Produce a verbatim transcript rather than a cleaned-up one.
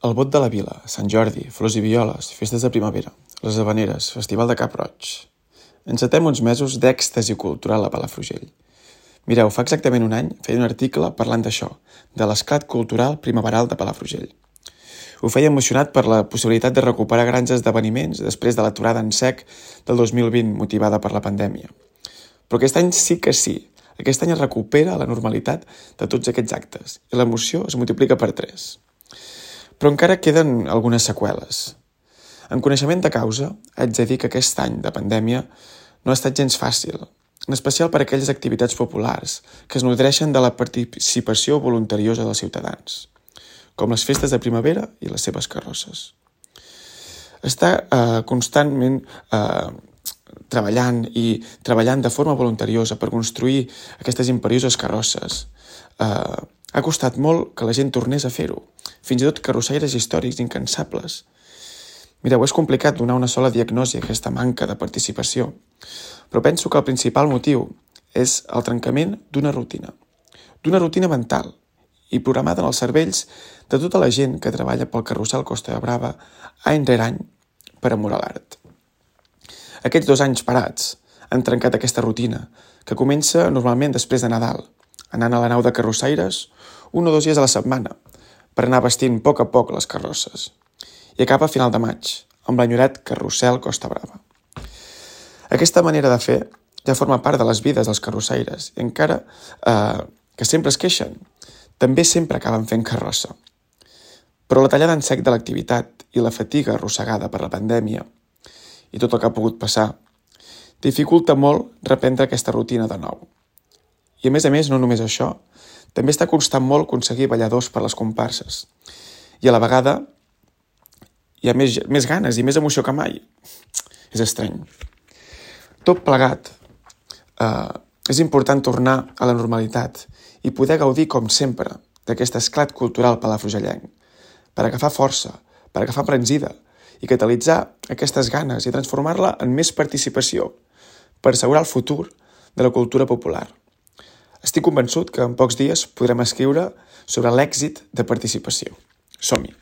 El Bot de la Vila, Sant Jordi, flors i violes, festes de primavera, les Havaneres, Festival de Cap-roig. Encetem uns mesos d'èxtasi cultural a Palafrugell. Mireu, fa exactament un any feia un article parlant d'això, de l'esclat cultural primaveral de Palafrugell. Ho feia emocionat per la possibilitat de recuperar grans esdeveniments després de l'aturada en sec del dos mil vint motivada per la pandèmia. Però aquest any sí que sí. Aquest any es recupera la normalitat de tots aquests actes i l'emoció es multiplica per tres. Però encara queden algunes seqüeles. En coneixement de causa, haig de dir que aquest any de pandèmia no ha estat gens fàcil, en especial per a aquelles activitats populars que es nodreixen de la participació voluntariosa dels ciutadans, com les festes de primavera i les seves carrosses. Està eh, constantment eh, treballant i treballant de forma voluntariosa per construir aquestes imperioses carrosses. Eh, ha costat molt que la gent tornés a fer-ho, fins i tot carrossaires històrics incansables. Mireu, és complicat donar una sola diagnosi a aquesta manca de participació, però penso que el principal motiu és el trencament d'una rutina, d'una rutina mental i programada en els cervells de tota la gent que treballa pel carrusel Costa de Brava any rere any per amorar l'art. Aquests dos anys parats han trencat aquesta rutina, que comença normalment després de Nadal, anant a la nau de carrossaires un o dos dies a la setmana, per anar vestint a poc a poc les carrosses, i acaba a final de maig, amb l'enyorat carrusel Costa Brava. Aquesta manera de fer ja forma part de les vides dels carrossaires, i encara eh, que sempre es queixen, també sempre acaben fent carrossa. Però la tallada en sec de l'activitat i la fatiga arrossegada per la pandèmia i tot el que ha pogut passar, dificulta molt reprendre aquesta rutina de nou. I a més a més, no només això, també està costant molt aconseguir balladors per les comparses. I a la vegada hi ha més, més ganes i més emoció que mai. És estrany. Tot plegat, eh, és important tornar a la normalitat i poder gaudir, com sempre, d'aquest esclat cultural palafrugellenc, per agafar força, per agafar embranzida i catalitzar aquestes ganes i transformar-la en més participació per assegurar el futur de la cultura popular. Estic convençut que en pocs dies podrem escriure sobre l'èxit de participació. Som-hi!